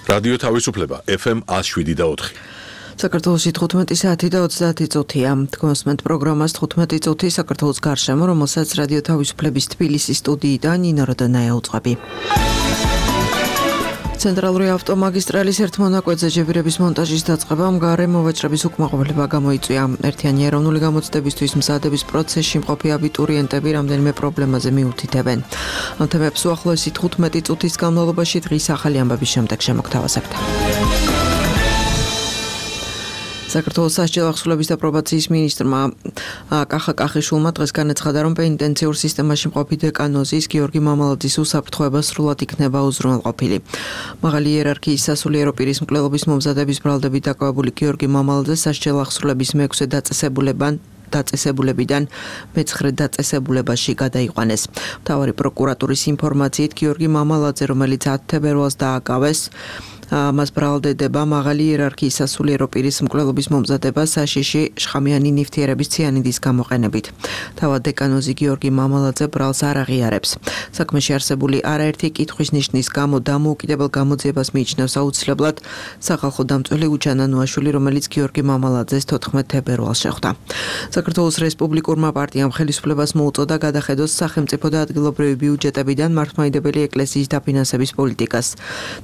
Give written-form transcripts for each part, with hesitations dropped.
რადიო თავისუფლება FM 107.4. საქართველოში 15 საათი და 30 წუთია. თქვენსმენთ პროგრამას 15 წუთი საქართველოს გარშემო, რომელსაც რადიო თავისუფლების თბილისის სტუდიიდან ნინო როდანაია უწყები. ცენტრალური ავტომაგისტრალის ერთ მონაკვეთზე ჯებირების მონტაჟის დაწყებამ გარე მოვაჭრების უკმაყოფილება გამოიწვია. ერთიანი ეროვნული გამოცდებისთვის მზადების პროცესში მყოფი აბიტურიენტები რამდენიმე პრობლემაზე მიუთითებენ. ამ თემებს უახლოესი 15 წუთის განმავლობაში დღის ახალი ამბების შემდეგ შემოგთავაზებთ. საქართველოს სასჯელ ახსულების და პრობაციის მინისტრმა კახა კახიშვილმა დღეს განაცხადა, რომ პენიტენციურ სისტემაში მყოფი დეკანოზის გიორგი მამალაძის უსაფრთხოება სრულად იქნება უზრუნველყოფილი. მაღალი იერარქიის სასულიერო პირის მკვლელობის მომზადების ბრალდებით დაკავებული გიორგი მამალაძე სასჯელ ახსულების მე-6 დაწესებულებიდან მე-9 დაწესებულებაში გადაიყვანეს. მთავარი პროკურატურის ინფორმაციით გიორგი მამალაძე, რომელიც 10 თებერვალს დააკავეს, მას ბრალდება მაღალი იერარქიის სასულიერო პირის მკვლელობის მომზადება საშიში შხამიანი ნივთიერების ციანიდის გამოყენებით. თავად დეკანოზი გიორგი მამალაძე ბრალს არ აღიარებს. საქმეში არსებული არაერთი კითხვის ნიშნის გამო დამოუკიდებელ გამოძიებას მიიჩნევს აუცილებლად სახალხო დამცველი უჯანა ნუაშვილი, რომელიც გიორგი მამალაძეს 14 თებერვალს შეხვდა. საქართველოს რესპუბლიკურმა პარტიამ ხელისუფლებას მოუწოდა გადახედოს სახელმწიფო და ადგილობრივი ბიუჯეტებიდან მართლმადიდებელი ეკლესიის დაფინანსების პოლიტიკას.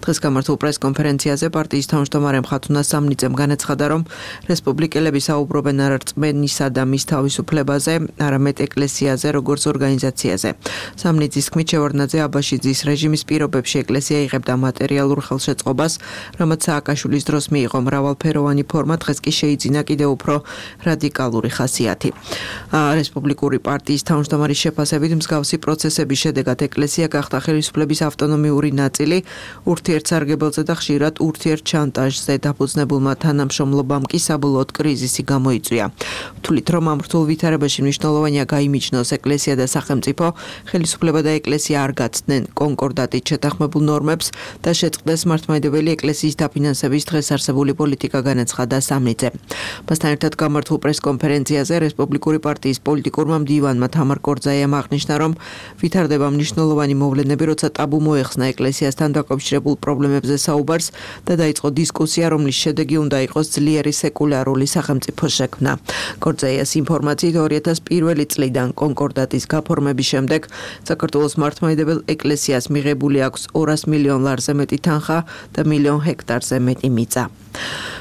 დღეს გამართულ პრესკონფერენციაზე პარტიის თავმჯდომარე მხატვრונה სამნიცემ განაცხადა, რომ რესპუბლიკელები საუბრობენ არ რწმენისა და მის თავისუფლებაზე, არამედ ეკლესიაზე როგორც ორგანიზაციაზე. სამნიძის თქმით, შევარდნაძე აბაშიძის რეჟიმის პირობებში ეკლესია იღებდა მატერიალურ ხელშეწყობას, რამაც სააკაშვილის დროს მიიღო მრავალფეროვანი ფორმა, დღეს კი შეიძინა კიდევ უფრო რადიკალური ხასიათი. რესპუბლიკური პარტიის თავმჯდომარის შეფასებით, მსგავსი პროცესების შედეგად ეკლესია გახდა ხელისუფლების ავტონომიური ნაწილი, ურთიერთსარგებელზე და ხშირად ურთიერთშანტაჟზე დაფუძნებულმა თანამშრომლობამ კი საბოლოოდ კრიზისი გამოიწვია. ვთვლით, რომ ამ რთულ ვითარებაში მნიშვნელოვანია გაიმიჯნოს ეკლესია და სახელმწიფო, ხელისუფლება და ეკლესია არ გაცდნენ კონკორდატით შეთანხმებულ ნორმებს და შეწყდეს მართლმადიდებელი ეკლესიის დაფინანსების დღეს არსებული პოლიტიკა, განაცხადა სამნიცემ. მასთან ერთად გამართულ პრესკონფერენციაზე რესპუბლიკური პარტიის პოლიტიკურმა მდივანმა თამარ კორძაიამ აღნიშნა, რომ ვითარდება მნიშვნელოვანი მოვლენები, როცა ტაბუ მოეხსნა ეკლესიასთან დაკავშირებულ პრობლემებზე საუბარს და დაიწყო დისკუსია, რომლის შედეგი უნდა იყოს ძლიერი სეკულარული სახელმწიფო შექმნა. კორძაიას ინფორმაციით 2001 წლიდან კონკორდატის გაფორმების შემდეგ საქართველოს მართლმადიდებელ ეკლესიას მიღებული აქვს 200 მილიონ ლარზე მეტი თანხა და 1 მილიონ ჰექტარზე მეტი მიწა.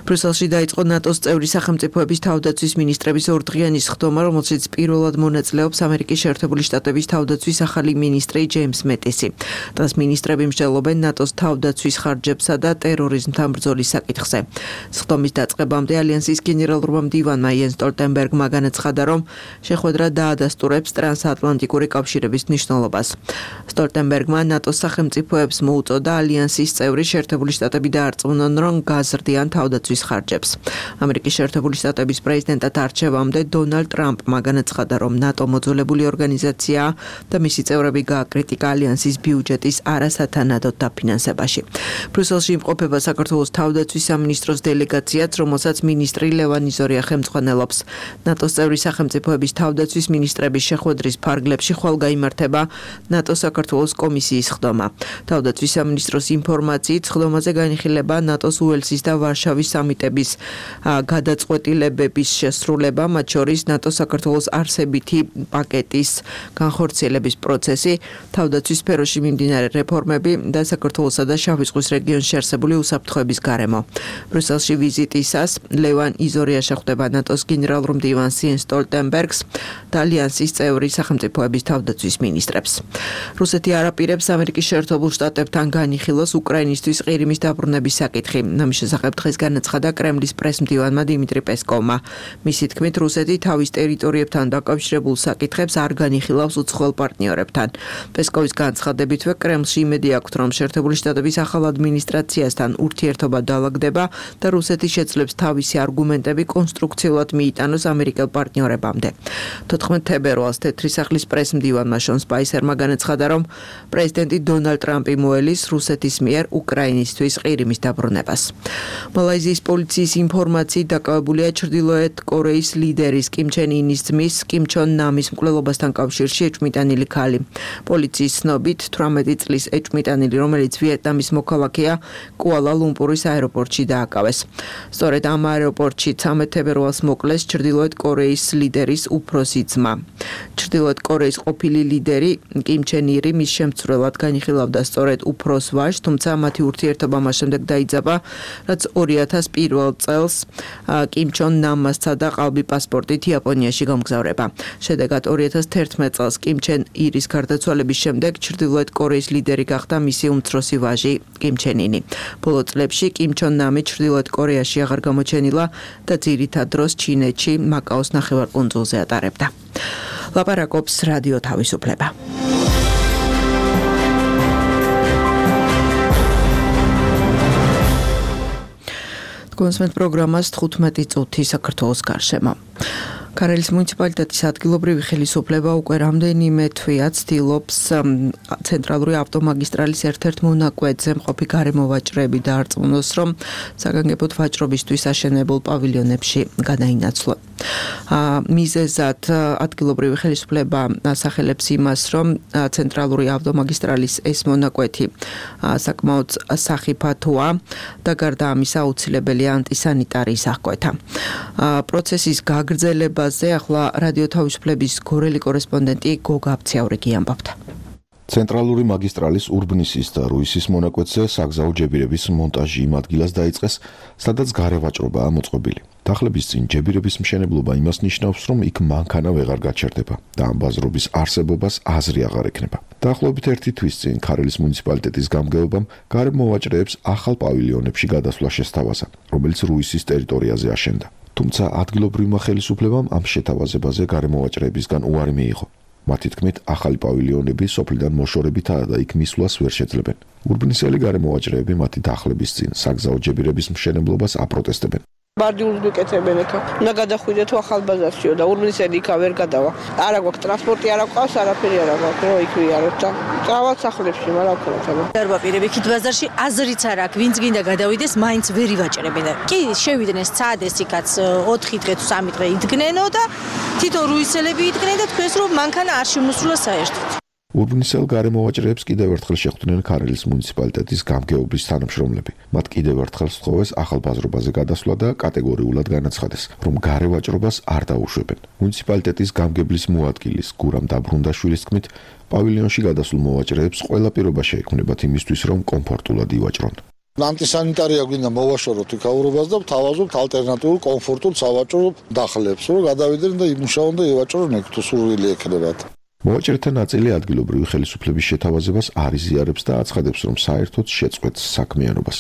ბრიუსელში დაიწყო ნატოს წევრი სახელმწიფოების თავდაცვის მინისტრების ორდღიანი სხდომა, რომელშიც პირველად მონაწილეობს ამერიკის შეერთებული შტატების თავდაცვის ახალი მინისტრი ჯეიმს მეტისი. დღეს მინისტრები მსჯელობენ ნატოს თავდაცვის ხარჯებსა და ტერორიზმთან ბრძოლის საკითხზე. სხდომის დაწყებამდე ალიანსის გენერალურმა მდივანმა იენს სტოლტენბერგმა განაცხადა, რომ შეხვედრა დაადასტურებს ტრანსატლანტიკური კავშირების მნიშვნელობას. სტოლტენბერგმა ნატოს სახელმწიფოებს მოუწოდა ალიანსის წევრი შეერთებული შტატები დაარწმუნონ, რომ გაზრდიან თავდაცვის ხარჯებს. ამერიკის შეერთებული შტატების პრეზიდენტად არჩევამდე დონალდ ტრამპმა განაცხადა, რომ ნატო მოძველებული ორგანიზაციაა და მისი წევრები გააკრიტიკა ალიანსის ბიუჯეტის არასათანადოდ დაფინანსებაში. ბრიუსელში იმყოფება საქართველოს თავდაცვის სამინისტროს დელეგაციაც, რომელსაც მინისტრი ლევან იზორია ხელმძღვანელობს. ნატოს წევრი სახელმწიფოების თავდაცვის მინისტრების შეხვედრის ფარგლებში ხვალ გაიმართება ნატო საქართველოს კომისიის სხდომა. თავდაცვის სამინისტროს ინფორმაციით, სხდომაზე განიხილება ნატოს უელსის და ვარშავის სამიტების გადაწყვეტილებების შესრულება, მათ შორის ნატო საქართველოს არსებითი პაკეტის განხორციელების პროცესი, თავდაცვის სფეროში მიმდინარე რეფორმები და საქართველოსა და შავი ზღვის რეგიონში არსებული უსაფრთხოების გარემო. ბრიუსელში ვიზიტისას ლევან იზორია შეხვდება ნატოს გენერალურ მდივანს იენს სტოლტენბერგს და ალიანსის წევრი სახელმწიფოების თავდაცვის მინისტრებს. რუსეთი არ აპირებს ამერიკის შეერთებულ შტატებთან განიხილოს უკრაინისთვის ყირიმის დაბრუნების საკითხი. ამის შესახებ დღეს განაცხადა კრემლის პრესმდივანმა დიმიტრი პესკოვმა. მისი თქმით, რუსეთი თავის ტერიტორიებთან დაკავშირებულ საკითხებს არ განიხილავს უცხოელ პარტნიორებთან. პესკოვის განცხადებითვე კრემლში იმედი აქვთ, რომ შეერთებული შტატების ახალ ადმინისტრაციასთან ურთიერთობა დაალაგდება და რუსეთი შეძლებს თავისი არგუმენტები კონსტრუქციულად მიიტანოს ამერიკელ პარტნიორებამდე. 14 თებერვალს თეთრი სახლის პრესმდივანმა შონ სპაისერმა განაცხადა, რომ პრეზიდენტი დონალდ ტრამპი მოელის რუსეთის მიერ უკრაინისთვის ყირიმის დაბრუნებას. მალაიზიის პოლიციის ინფორმაციით დაკავებულია ჩრდილოეთ კორეის ლიდერის კიმ ჩენ ინის ძმის კიმ ჩონ ნამის მკვლელობასთან კავშირში ეჭვმიტანილი ქალი. პოლიციის ცნობით 18 წლის ეჭვმიტანილი, რომელიც ვიეტნამის მოქალაქეა, კუალა ლუმპურის აეროპორტში დააკავეს. სწორედ ამ აეროპორტში 13 თებერვალს მოკლეს ჩრდილოეთ კორეის ლიდერის უფროსი ძმა. ჩრდილოეთ კორეის ყოფილი ლიდერი კიმ ჩენ ირი მის შემცვლელად განიხილავდა სწორედ უფროს ვაჟს, თუმცა მათი ურთიერთობა მას შემდეგ დაიძაბა, რაც 2001 წელს კიმ ჩონ ნამმა სცადა ყალბი პასპორტით იაპონიაში გამგზავრება. შედეგად 2011 წელს კიმ ჩენ ირის გარდაცვალების შემდეგ ჩრდილოეთ კორეის ლიდერი გახდა მისი უმცროსი ვაჟი კიმ ჩენ ინი. ბოლო წლებში კიმ ჩონ ნამი ჩრდილოეთ კორეაში აღარ გამოჩენილა და ძირითად დროს ჩინეთში, მაკაოს ნახევარკუნძულზე ატარებდა. ლაპარაკობს რადიო თავისუფლება. კონსმენტ პროგრამას 15 წუთი საქართველოს გარშემო. ქარელის მუნიციპალიტეტის ადგილობრივი ხელისუფლება უკვე რამდენიმე თვეა ცდილობს ცენტრალური ავტომაგისტრალის ერთ-ერთ მონაკვეთზე მყოფი გარემოვაჭრეები დაარწმუნოს, რომ საგანგებოდ ვაჭრობისთვის აშენებულ პავილიონებში გადაინაცვლონ. მიზეზად ადგილობრივი ხელისუფლება ასახელებს იმას, რომ ცენტრალური ავტომაგისტრალის ეს მონაკვეთი საკმაოდ სახიფათოა და გარდა ამისა აუცილებელია ანტისანიტარიის აღკვეთა. პროცესის გაგრძელებაზე ახლა რადიო თავისუფლების გორელი კორესპონდენტი გოგა აფციაურიკი ამბობდა. ცენტრალური მაგისტრალის ურბნისის და რუისის მონაკვეთზე საგზაო ჯებირების მონტაჟი იმ ადგილას დაიწყეს, სადაც გარევაჭრობაა მოწყობილი. დახლების წინ ჯებირების მშენებლობა იმას ნიშნავს, რომ იქ მანქანა ვეღარ გაჩერდება და ამ ბაზრობის არსებობას აზრი აღარ ექნება. დაახლოებით 1 თვის წინ ქარელის მუნიციპალიტეტის გამგეობამ გარემოვაჭრეებს ახალ პავილიონებში გადასვლა შესთავაზა, რომელიც რუისის ტერიტორიაზე აშენდა. თუმცა ადგილობრივმა ხელისუფლებამ ამ შეთავაზებაზე გარემოვაჭრეებისგან უარი მიიღო. მათი თქმით, ახალი პავილიონები სოფლიდან მოშორებითაა და იქ მისვლას ვერ შეძლებენ. ურბნისელი გარემოვაჭრეები მათი დახლების წინ საგზაო ჯებირების მშენებლობას აპროტესტებენ. ბარდიულს გეკეთებენ ეხა. უნდა გადახვიდე თუ ახალბაზარშიო და ურბნისელი იქა ვერ გადავა. არა გვაქვს ტრანსპორტი, არა გვყავს, არაფერი არა გვაქვს, რომ იქ ვიაროთ და წავალ სახლებში, მაგრამ ვქნათ აბა. არ ვაპირებ იქით ბაზარში, აზრიც არ აქვს, ვინც გინდა გადავიდეს, მაინც ვერ ივაჭრებენ. კი, შევიდნენ სცადეს იქაც 4 დღე თუ 3 დღე იდგნენო და თვითონ რუისელები იდგნენ და თქვენს რომ მანქანა არ შემოსულა საერთოდ. ურბნისელ გარემოვაჭრეებს კიდევ ერთხელ შეხვდნენ ქარელის მუნიციპალიტეტის გამგეობის თანამშრომლები. მათ კიდევ ერთხელ სთხოვეს ახალ ბაზრობაზე გადასვლა და კატეგორიულად განაცხადეს, რომ გარევაჭრობას არ დაუშვებენ. მუნიციპალიტეტის გამგებლის მოადგილის გურამ დაბრუნდაშვილის თქმით, პავილიონში გადასულ მოვაჭრეებს ყველა პირობა შეექმნებათ იმისთვის, რომ კომფორტულად ივაჭრონ. ანტისანიტარია გვინდა მოვაშოროთ იქაურობას და ვთავაზობთ ალტერნატიულ კომფორტულ სავაჭრო დახლებს, რომ გადავიდნენ და იმუშაონ და ივაჭრონ ეგ თუ სურვილი ექნებათ. მოვაჭრეთა ნაწილი ადგილობრივი ხელისუფლების შეთავაზებას არ იზიარებს და აცხადებს, რომ საერთოდ შეწყვეტს საქმიანობას,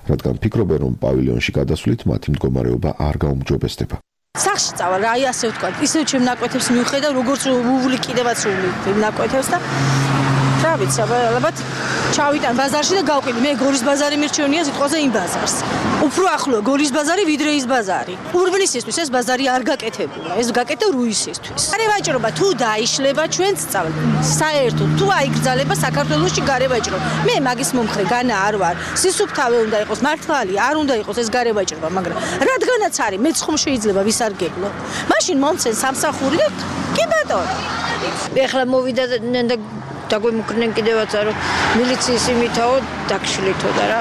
რადგან ფიქრობენ, რომ პავილიონში გადასვლით მათი მდგომარეობა არ გაუმჯობესდება. სახში წავალ, აი ასე ვთქვა, ისევ ჩემ ნაკვეთებს მივხედავ, როგორც უვლი კიდევაც სული ნაკვეთებს და რა ვიცი, ალბათ ჩავიტან ბაზარში და გავყიდი. მე გორის ბაზარი მირჩევნია სიტყვაზე იმ ბაზარს. უფრო ახლოა გორის ბაზარი, ვიდრე ის ბაზარი. ურბნისისთვის ეს ბაზარი არ გაკეთებულა, ეს გაკეთდა რუისისთვის. გარევაჭრობა თუ დაიშლება, ჩვენც წავალ. საერთოდ თუ აიგრძალება საქართველოში გარევაჭრობა. მე მაგის მომხრე განა არ ვარ. სისუფთავე უნდა იყოს, მართალი არ უნდა იყოს ეს გარევაჭრობა, მაგრამ რადგანაც არის, მეც ხომ შეიძლება ვისარგებლო. მაშინ მომცენ სამსახური და კი ბატონო. ეხლა მოვიდადნენ და დაგვემუქრნენ კიდევაც რომ მილიციის იმითაო დაგშლითო და რა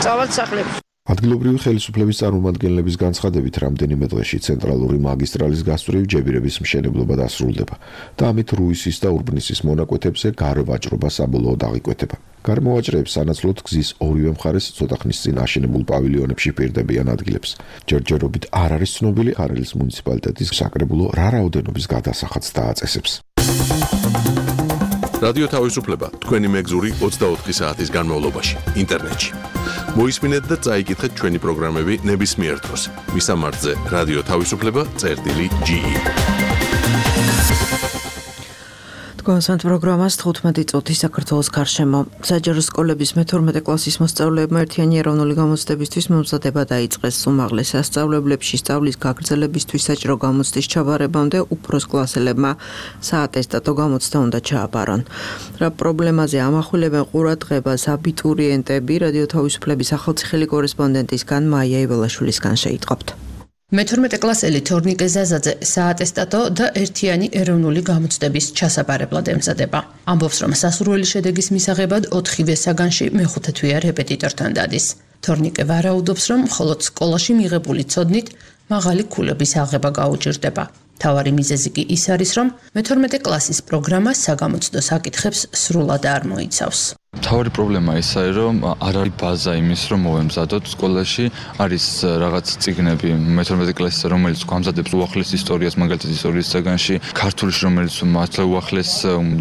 წავალ სახლებში. ადგილობრივი ხელისუფლების წარმომადგენლების განცხადებით, რამდენიმე დღეში ცენტრალური მაგისტრალის გასწვრივ ჯებირების მშენებლობა დასრულდება და ამით რუისის და ურბნისის მონაკვეთებზე გარევაჭრობა საბოლოოდ აღიკვეთება. გარემოვაჭრეებს სანაცვლოდ გზის ორივე მხარეს ცოტა ხნის წინ აშენებულ პავილიონებში პირდებიან ადგილებს. ჯერჯერობით არ არის ცნობილი ქარელის მუნიციპალიტეტის საკრებულო რა რაოდენობის გადასახადს დააწესებს. რადიო თავისუფლება თქვენი მეგზური 24 საათის განმავლობაში ინტერნეტში. მოისმინეთ და წაიკითხეთ ჩვენი პროგრამები ნებისმიერ დროს. მისამართზე რადიო თავისუფლება.ge კონსანტ პროგრამას 15 წუთი საქართველოს გარშემო. საჯარო სკოლების მე-12 კლასის მოსწავლეებმა ერთიანი ეროვნული გამოცდებისთვის მომზადება დაიწყეს. უმაღლეს სასწავლებლებში სწავლის გაგრძელებისთვის საჭირო გამოცდის ჩაბარებამდე უფროს კლასელებმა საატესტატო გამოცდა უნდა ჩააბარონ. რა პრობლემაზე ამახვილებენ ყურადღებას აბიტურიენტები, რადიო თავისუფლების ახალციხელი კორესპონდენტისგან მაია იველაშვილისგან შეიტყობთ. მე-12 კლასელი თორნიკე ზაზაძე საატესტატო და ერთიანი ეროვნული გამოცდების ჩასაბარებლად ემზადება. ამბობს, რომ სასურველი შედეგის მისაღებად 4-ვე საგანში მეხუთე თვეა რეპეტიტორთან დადის. თორნიკე ვარაუდობს, რომ მხოლოდ სკოლაში მიღებული ცოდნით მაღალი ქულების აღება გაუჭირდება. თავარი მიზეზი კი ის არის, რომ მე-12 კლასის პროგრამა საგამოცდო საკითხებს სრულად არ მოიცავს. თავარი პრობლემა ისაა, რომ არ არის ბაზა იმის, რომ მოვემზადოთ სკოლაში, არის რაღაც წიგნები მე-12 კლასის, რომელიც გვამზადებს უახლეს ისტორიას, მაგალითად ისტორიის საგანში, ქართულში, რომელიც მართლა უახლეს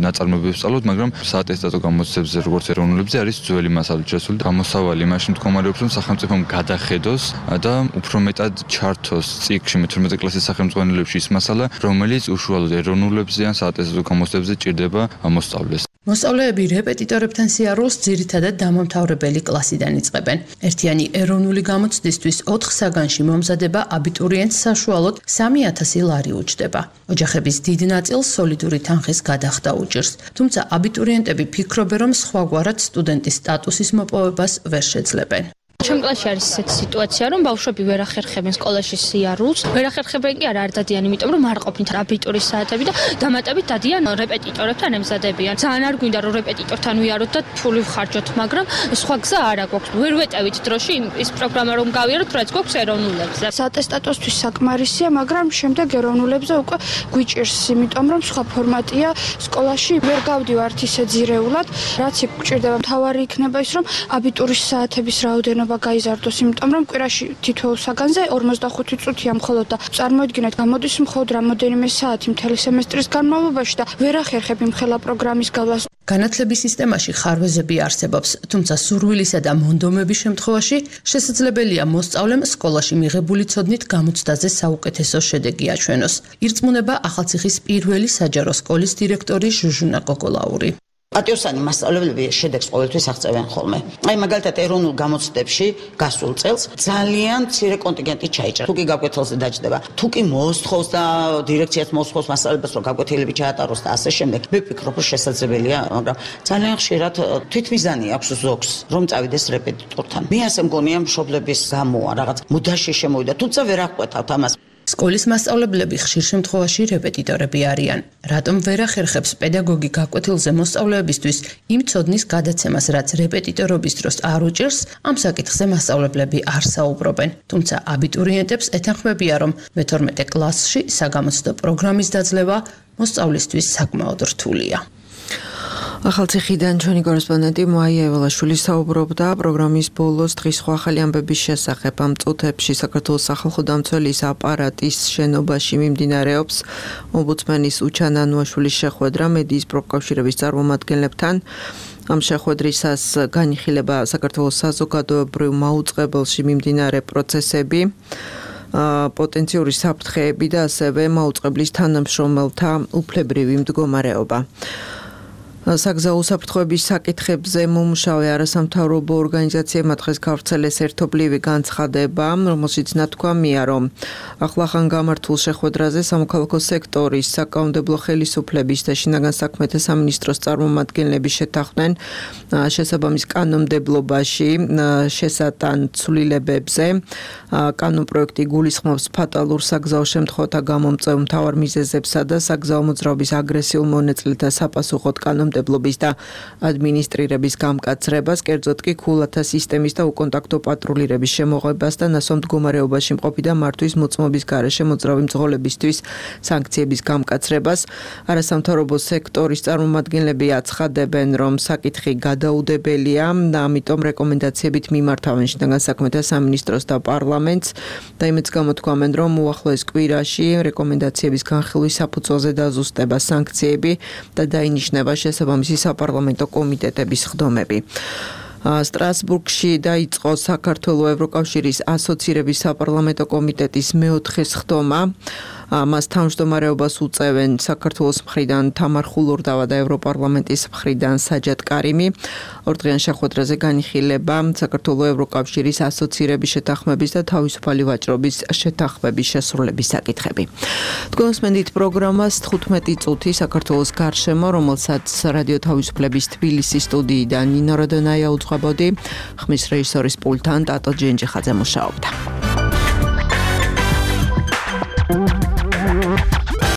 ნაწარმოებებს სწავლობთ, მაგრამ საატესტატო გამოცდებზე, როგორც ეროვნულებზე, არის ძველი მასალით შესული. გამოსავალი იმაში მდგომარეობს, რომ სახელმწიფომ გადახედოს და უფრო მეტად ჩართოს წიგნში მე-12 კლასის სახელმძღვანელოებში ის მასალა, რომელიც უშუალოდ ეროვნულებზე ან საატესტატო გამოცდებზე ჭირდება მოსწავლეს. მოსწავლეები რეპეტიტორებთან სიარულს ძირითადად დამამთავრებელი კლასიდან იწყებენ. ერთიანი ეროვნული გამოცდისთვის 4 საგანში მომზადება აბიტურიენტს საშუალოდ 3000 ლარი უჯდება. ოჯახების დიდ ნაწილს სოლიდური თანხის გადახდა უჭირს. თუმცა აბიტურიენტები ფიქრობენ, რომ სხვაგვარად სტუდენტის სტატუსის მოპოვებას ვერ შეძლებენ. ჩემ კლასში არის ესეთი სიტუაცია, რომ ბავშვები ვერ ახერხებენ სკოლაში სიარულს. ვერ ახერხებენ კი არა არ დადიან, იმიტომ რომ არ ყოფნით აბიტურის საათები და დამატებით დადიან რეპეტიტორებთან ემზადებიან. ძალიან არ გვინდა რომ რეპეტიტორთან ვიაროთ და ფული ვხარჯოთ, მაგრამ სხვა გზა არ აქვს. ვერ ვეტევით დროში ის პროგრამა რომ გავიაროთ, რაც გვაქვს ეროვნულებზე. საატესტატოსთვის საკმარისია, მაგრამ შემდეგ ეროვნულებზე უკვე გვიჭირს, იმიტომ რომ სხვა ფორმატია სკოლაში ვერ გავდივართ ისე ძირეულად, რაც გვჭირდება. მთავარი იქნება ის, რომ აბიტურის საათების რაოდენობა გაიზარდოს, იმიტომ რომ კვირაში თითოეულ საგანზე 45 წუთია მხოლოდ და წარმოიდგინეთ, გამოდის მხოლოდ რამოდენიმე საათი მთელი სემესტრის განმავლობაში და ვერ ახერხებ იმ ხელა პროგრამის გავლას. განათლების სისტემაში ხარვეზები არსებობს, თუმცა სურვილისა და მონდომების შემთხვევაში შესაძლებელია მოსწავლემ სკოლაში მიღებული ცოდნით გამოცდაზე საუკეთესო შედეგი აჩვენოს. ირწმუნება ახალციხის პირველი საჯარო სკოლის დირექტორი ჟუჟუნა გოგოლაური. პატიოსანი მასწავლებლები შედეგს ყოველთვის აღწევენ ხოლმე. აი მაგალითად ეროვნულ გამოცდებში გასულ წელს ძალიან მცირე კონტინგენტი ჩაიჭრა. თუ კი გაკვეთილზე დაჯდება, თუ კი მოსთხოვს და დირექციაც მოსთხოვს მასწავლებლებს, რომ გაკვეთილები ჩაატაროს და ასე შემდეგ, მე ვფიქრობ, რომ შესაძლებელია, მაგრამ ძალიან ხშირად თვითმიზანი აქვს ზოგს, რომ წავიდეს რეპეტიტორთან. მე ასე მგონია მშობლების გამოა რაღაც მუდაში შემოვიდა, თუმცა ვერ აღკვეთავთ ამას. სკოლის მასწავლებლები ხშირ შემთხვევაში რეპეტიტორები არიან. რატომ ვერ ახერხებს პედაგოგი გაკვეთილზე მოსწავლეებისთვის იმ ცოდნის გადაცემას, რაც რეპეტიტორობის დროს არ უჭირს, ამ საკითხზე მასწავლებლები არ საუბრობენ. თუმცა აბიტურიენტებს ეთანხმებია, რომ მე-12 კლასში საგამოცდო პროგრამის დაძლევა მოსწავლისთვის საკმაოდ რთულია. ახალციხიდან ჩვენი კორესპონდენტი მაია იველაშვილი საუბრობდა პროგრამის ბოლოს დღის სხვა ახალი ამბების შესახებ. ამ წუთებში საქართველოს სახალხო დამცველის აპარატის შენობაში მიმდინარეობს ომბუდსმენის უჩან ანუაშვილის შეხვედრა მედიის პროფკავშირების წარმომადგენლებთან. ამ შეხვედრისას განიხილება საქართველოს საზოგადოებრივ მაუწყებელში მიმდინარე პროცესები, პოტენციური საფრთხეები და ასევე მაუწყებლის თანამშრომელთა უფლებრივი მდგომარეობა. საგზაო უსაფრთხოების საკითხებზე მომუშავე არასამთავრობო ორგანიზაციებმა დღეს გავრცელეს ერთობლივი განცხადება, რომელშიც ნათქვამია, რომ ახლახან გამართულ შეხვედრაზე სამოქალაქო სექტორის, საკანონმდებლო ხელისუფლების და შინაგან საქმეთა სამინისტროს წარმომადგენლები შეთანხმდნენ შესაბამის კანონმდებლობაში შესატან ცვლილებებზე. კანონპროექტი გულისხმობს ფატალურ საგზაო შემთხვევათა გამომწვევ მთავარ მიზეზებსა და საგზაო მოძრაობის აგრესიულ მონაწილეთა საპასუხოდ კანონმდებლობის და ადმინისტრირების გამკაცრებას, კერძოდ კი ქულათა სისტემის და უკონტაქტო პატრულირების შემოღებას და ნასვამ მდგომარეობაში მყოფი და მართვის მოწმობის გარეშე მოძრავი მძღოლებისთვის სანქციების გამკაცრებას. არასამთავრობო სექტორის წარმომადგენლები აცხადებენ, რომ საკითხი გადაუდებელია და ამიტომ რეკომენდაციებით მიმართავენ შინაგან საქმეთა სამინისტროს და პარლამენტს და იმედს გამოთქვამენ, რომ უახლოეს კვირაში რეკომენდაციების განხილვის საფუძველზე დაზუსტება სანქციები და დაინიშნება შესაბამისი საპარლამენტო კომიტეტების ხდომები. სტრასბურგში დაიწყო საქართველოს ევროკავშირის ასოცირების საპარლამენტო კომიტეტის მეოთხე სხდომა. მას თავმჯდომარეობას უწევენ საქართველოს მხრიდან თამარ ხულურდავა და ევროპარლამენტის მხრიდან საჯად კარიმი. ორდღიან შეხვედრაზე განიხილება საქართველოს ევროკავშირის ასოცირების შეთანხმების და თავისუფალი ვაჭრობის შეთანხმების შესრულების საკითხები. თქვენს მენდით პროგრამას 15 წუთი საქართველოს გარშემო, რომელსაც რადიო თავისუფლების თბილისის სტუდიიდან ნინო როდონაია უძღვებოდი, ხმის რეჟისორის პულტთან ტატო ჯენჯიხაძე მუშაობდა.